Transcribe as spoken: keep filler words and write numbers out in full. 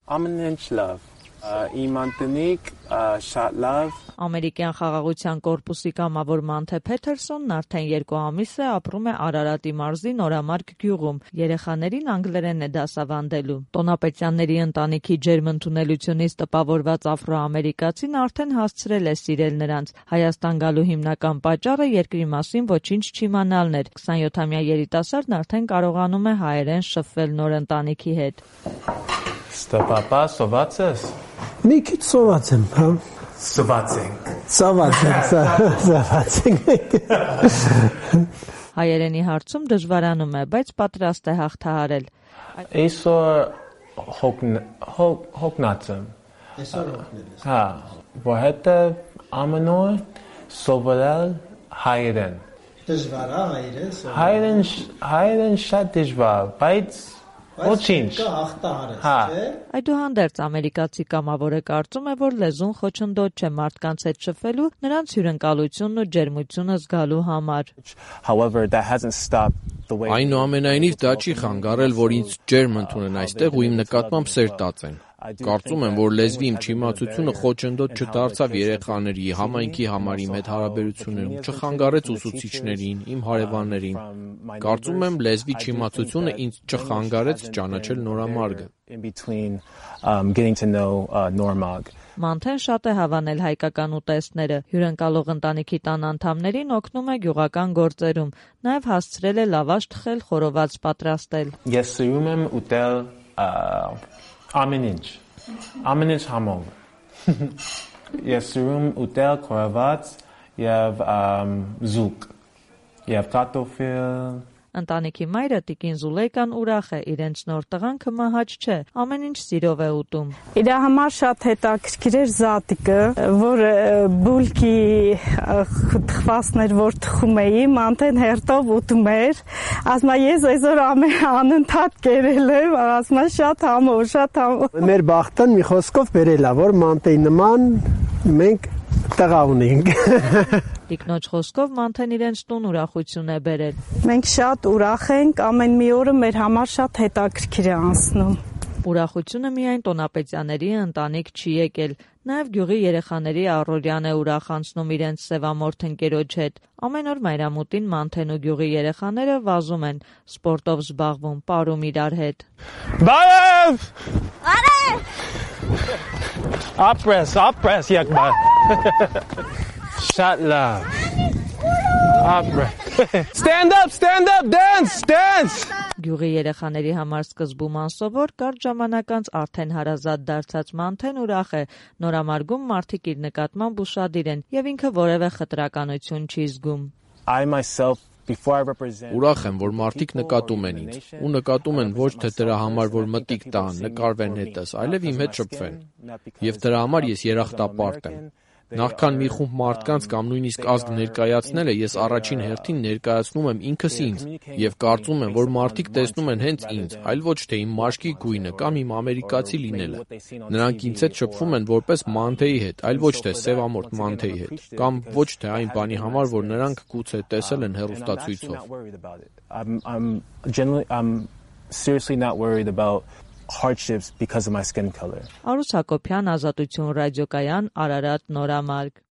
Ամեն ինչ լավ, իմ ընտանիք շատ լավ։ Ամերիկյան խաղաղության կորպուսի կամավոր Մանթե Փեթերսոնն արդեն երկու ամիս է ապրում է Արարատի մարզի Նորամարկ գյուղում, երեխաներին անգլերեն է դասավանդելու։ Տոնապետյանների ընտանիքի ջերմ ընդունելությունից տպավորված աֆրոամերիկացին արդեն հասցրել է սիրել նրանց։ Հայաստան գալու հիմնական պատճառը երկրի մասին ոչինչ չիմանալն էր։ քսանյոթամյա երիտասարդն արդեն կարողանում է հայերեն շփվել նոր ընտանիքի հետ։ Ստապապա, սոված ես։ Մի քիչ սոված եմ, հա։ Սոված ենք։ Սոված ենք, սոված ենք։ Հայերենի հարցում դժվարանում է, բայց պատրաստ է հաղթահարել։ Այսօր հոգնած եմ։ Այսօր հոգնել ես։ Հա, որովհետև ամեն օր սովորել հայերեն։ Դժվար է հայերեն սովորել։ Հայերեն հայերեն շատ դժվար, բայց ոչինչ։ Հաղթահարես, Հա։ չէ՞։ Այդուհանդերձ ամերիկացի կամավորը կարծում է, որ լեզուն խոչընդոտ չէ մարդկանց հետ շփվելու, նրանց հյուրընկալությունն ու ջերմությունը զգալու համար։ However, that hasn't stopped the way Այնուամենայնիվ դա չի խանգարել, որ ինձ ջերմ ընդունեն այստեղ ու իմ նկատմամբ սեր տածեն։ Կարծում եմ, որ լեզվի իմ չիմացությունը խոչընդոտ չդարձավ երեխաների, համայնքի համար իմ հետ հարաբերություններում, չխանգարեց ուսուցիչներին, իմ հարևաններին։ Կարծում եմ, լեզվի չիմացությունը ինձ չխանգարեց ճանաչել Նորամարգը։ in between um getting to know uh, Normark. Մանթեն շատ է հավանել հայկական ուտեստները, հյուրընկալող ընտանիքի տան անդամներին օգնում է գյուղական գործերում, նաև հասցրել է լավաշ թխել, խորոված պատրաստել։ Ես սիրում եմ ուտել ամեն ինչ, ամեն ինչ համով։ Ես սիրում ուտել խորոված եւ զուկ եւ կարտոֆիլ։ Ընտանիքի մայրը Տիկին Զուլեյկան ուրախ է, իրենց նոր տղան մահաճ չէ, ամեն ինչ սիրով է ուտում։ Իր համար շատ հետաքրքիր էր զատիկը, որ բուլկի թխվածներ, որ թխում էի, Մանթեն հերթով ուտում էր, ասում է ես այսօր անընդհատ կերել եմ, ասում է շատ համով, շատ համով։ Մեր բախտն մի խոսքով բերել է, որ Մանթեի նման մենք տղա ունենք։ Տիկնոջ խոսքով Մանթեն իրենց տուն ուրախություն է բերել։ Մենք շատ ուրախ ենք, ամեն մի օրը մեր համար շատ հետաքրքիր է անցնում։ Ուրախությունը միայն տոնապետյանների ընտանիք չի եկել, նաև գյուղի երեխաների առօրյան է ուրախ անցնում իրենց սևամորթ ընկերոջ հետ։ Ամեն օր մայրամուտին Մանթեն ու գյուղի երեխաները վազում են, սպորտով զբաղվում, պարում իրար հետ։ Բարև! Բարև! Ապրես, ապրես եկբա։ Շատ լավ։ Ապրես։ Stand up, stand up, dance, dance։ Գյուղի երեխաների համար սկզբում անսովոր, կարճ ժամանակ անց արդեն հարազատ դարձած Մանթեն ուրախ է, Նորամարգում մարդիկ իր նկատմամբ ուշադիր են եւ ինքը որևէ խտրականություն չի զգում։ I myself before I represent Ուրախ եմ, որ մարդիկ նկատում են ինձ, ու նկատում են ոչ թե դրա համար, որ մտիկ տան, նկարվեն հետս, այլև իմ հետ շփվեն։ Եվ դրա համար ես երախտապարտ եմ։ Նախքան մի խումբ մարդկանց կամ նույնիսկ ազգ ներկայացնելը, ես առաջին հերթին ներկայացնում եմ ինքս ինձ եւ կարծում եմ, որ մարդիկ տեսնում են հենց ինձ, այլ ոչ թե իմ մաշկի գույնը կամ իմ ամերիկացի լինելը։ Նրանք ինձ հետ շփվում են որպես Մանթեի հետ, այլ ոչ թե սևամորթ Մանթեի հետ, կամ ոչ թե այն բանի համար, որ նրանք գուցե տեսել են հեռուստացույցով։ I'm I'm generally I'm seriously not worried about hardships because of my skin color. Արուս Հակոբյան, Ազատություն ռադիոկայան, Արարատ, Նորամարկ։